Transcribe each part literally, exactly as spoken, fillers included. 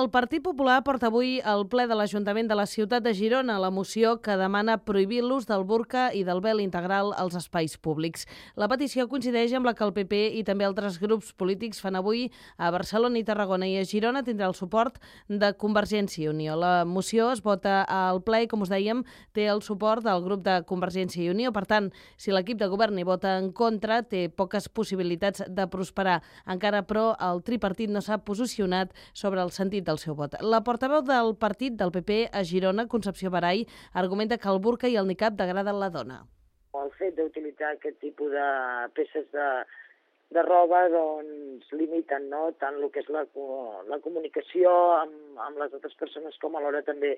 El Partit Popular porta avui al ple de l'Ajuntament de la ciutat de Girona la moció que demana prohibir l'ús del burca i del vel integral als espais públics. La petició coincideix amb la que el P P i també altres grups polítics fan avui a Barcelona i Tarragona, i a Girona tindrà el suport de Convergència i Unió. La moció es vota al ple i, com us dèiem, té el suport del grup de Convergència i Unió. Per tant, si l'equip de govern hi vota en contra, té poques possibilitats de prosperar. Encara, però, el tripartit no s'ha posicionat sobre el sentit del seu vot. La portaveu del partit del P P a Girona, Concepció Barai, argumenta que el burca i el nicab degraden la dona. El fet d'utilitzar aquest tipus de peces de, de roba doncs, limiten, no? Tant el que és la, la comunicació amb, amb les altres persones, com alhora també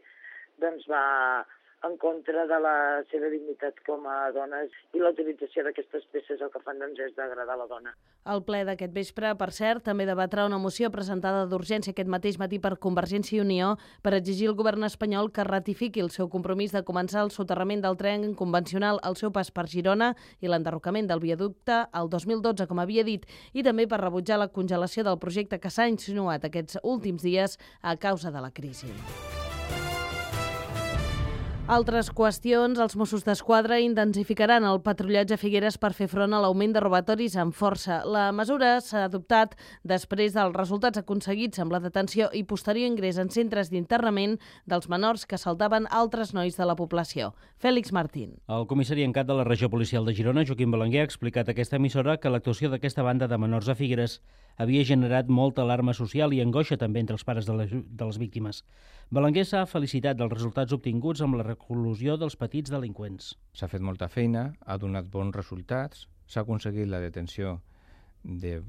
doncs, va en contra de la seva dignitat com a dones, i la utilització d'aquestes peces el que fan doncs, és degradar la dona. El ple d'aquest vespre, per cert, també debatrà una moció presentada d'urgència aquest mateix matí per Convergència i Unió per exigir al govern espanyol que ratifiqui el seu compromís de començar el soterrament del tren convencional al seu pas per Girona i l'enderrocament del viaducte al dos mil dotze, com havia dit, i també per rebutjar la congelació del projecte que s'ha insinuat aquests últims dies a causa de la crisi. Altres qüestions. Els Mossos d'Esquadra intensificaran el patrullatge a Figueres per fer front a l'augment de robatoris amb força. La mesura s'ha adoptat després dels resultats aconseguits amb la detenció i posterior ingrés en centres d'internament dels menors que assaltaven altres nois de la població. Fèlix Martín. El comissari en cap de la regió policial de Girona, Joaquim Belenguer, ha explicat a aquesta emissora que l'actuació d'aquesta banda de menors a Figueres havia generat molta alarma social i angoixa també entre els pares de les, de les víctimes. Belenguer s'ha felicitat dels resultats obtinguts amb la reclusió dels petits delinqüents. S'ha fet molta feina, ha donat bons resultats, s'ha aconseguit la detenció de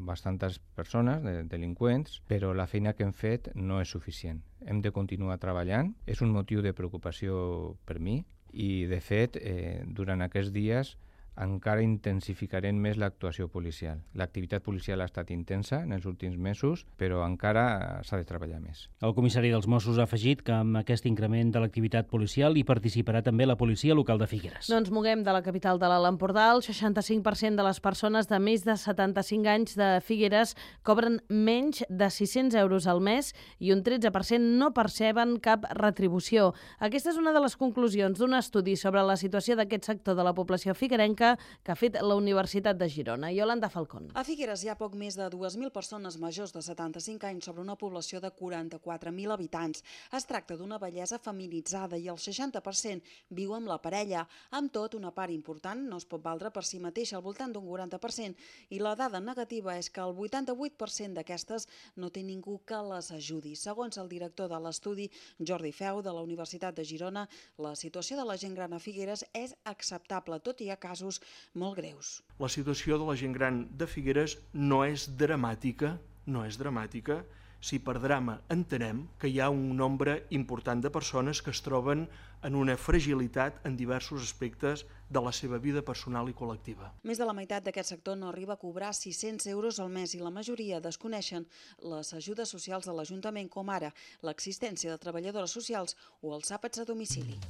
bastantes persones, de delinqüents, però la feina que hem fet no és suficient. Hem de continuar treballant, és un motiu de preocupació per mi i, de fet, eh, durant aquests dies encara intensificarem més l'actuació policial. L'activitat policial ha estat intensa en els últims mesos, però encara s'ha de treballar més. El comissari dels Mossos ha afegit que amb aquest increment de l'activitat policial hi participarà també la policia local de Figueres. No ens moguem de la capital de l'Alt Empordà. El seixanta-cinc per cent de les persones de més de setanta-cinc anys de Figueres cobren menys de sis-cents euros al mes i un tretze per cent no perceben cap retribució. Aquesta és una de les conclusions d'un estudi sobre la situació d'aquest sector de la població figuerenca que ha fet la Universitat de Girona. Iolanda Falcón. A Figueres hi ha poc més de dues mil persones majors de setanta-cinc anys sobre una població de quaranta-quatre mil habitants. Es tracta d'una bellesa feminitzada i el seixanta per cent viu amb la parella. Amb tot, una part important no es pot valdre per si mateixa, al voltant d'un quaranta per cent, i la dada negativa és que el vuitanta-vuit per cent d'aquestes no té ningú que les ajudi. Segons el director de l'estudi, Jordi Feu, de la Universitat de Girona, la situació de la gent gran a Figueres és acceptable, tot i hi ha casos molt greus. La situació de la gent gran de Figueres no és dramàtica, no és dramàtica, si per drama entenem que hi ha un nombre important de persones que es troben en una fragilitat en diversos aspectes de la seva vida personal i col·lectiva. Més de la meitat d'aquest sector no arriba a cobrar sis-cents euros al mes i la majoria desconeixen les ajudes socials de l'Ajuntament, com ara l'existència de treballadores socials o els àpats a domicili.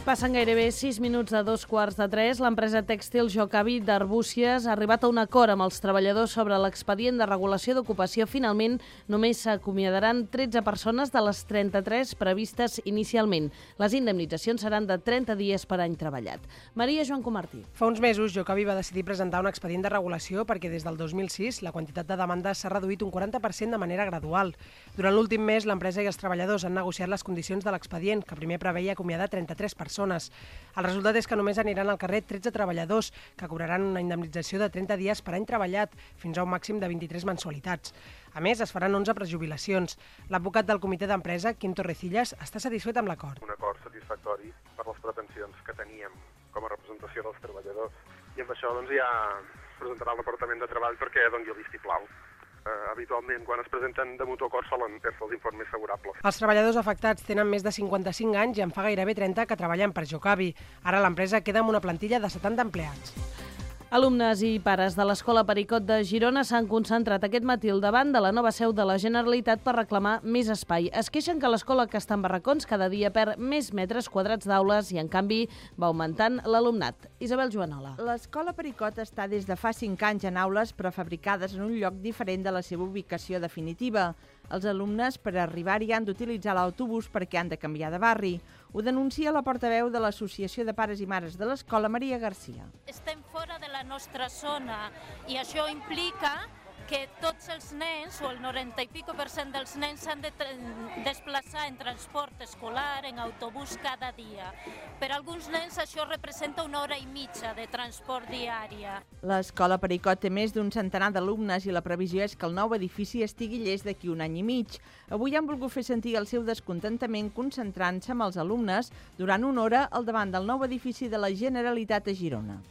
Passen gairebé sis minuts de dos quarts de tres. L'empresa tèxtil Jocavi d'Arbúcies ha arribat a un acord amb els treballadors sobre l'expedient de regulació d'ocupació. Finalment, només s'acomiadaran tretze persones de les trenta-tres previstes inicialment. Les indemnitzacions seran de trenta dies per any treballat. Maria Joan Comartí. Fa uns mesos, Jocavi va decidir presentar un expedient de regulació perquè des del dos mil sis la quantitat de demandes s'ha reduït un quaranta per cent de manera gradual. Durant l'últim mes, l'empresa i els treballadors han negociat les condicions de l'expedient, que primer preveia acomiadar trenta-tres persones. El resultat és que només aniran al carrer tretze treballadors, que cobraran una indemnització de trenta dies per any treballat, fins a un màxim de vint-i-tres mensualitats. A més, es faran onze prejubilacions. L'advocat del comitè d'empresa, Quim Torrecillas, està satisfet amb l'acord. Un acord satisfactori per les pretensions que teníem com a representació dels treballadors. I amb això doncs, ja presentarà el Departament de Treball perquè doni el vistiplau. Uh, habitualment, quan es presenten de mutu acord, solen fer-se els informes favorables. Els treballadors afectats tenen més de cinquanta-cinc anys i en fa gairebé trenta que treballen per Jocavi. Ara l'empresa queda amb una plantilla de setanta empleats. Alumnes i pares de l'Escola Pericot de Girona s'han concentrat aquest matí al davant de la nova seu de la Generalitat per reclamar més espai. Es queixen que l'escola que està en barracons cada dia perd més metres quadrats d'aules i, en canvi, va augmentant l'alumnat. Isabel Joanola. L'Escola Pericot està des de fa cinc anys en aules prefabricades en un lloc diferent de la seva ubicació definitiva. Els alumnes, per arribar-hi, han d'utilitzar l'autobús perquè han de canviar de barri. Ho denuncia la portaveu de l'Associació de Pares i Mares de l'Escola, Maria Garcia. Estem fora de la nostra zona i això implica que tots els nens, o el noranta i pico per cent dels nens, s'han de desplaçar en transport escolar, en autobús cada dia. Per a alguns nens això representa una hora i mitja de transport diària. L'Escola Pericot té més d'un centenar d'alumnes i la previsió és que el nou edifici estigui llest d'aquí un any i mig. Avui han volgut fer sentir el seu descontentament concentrant-se amb els alumnes durant una hora al davant del nou edifici de la Generalitat a Girona.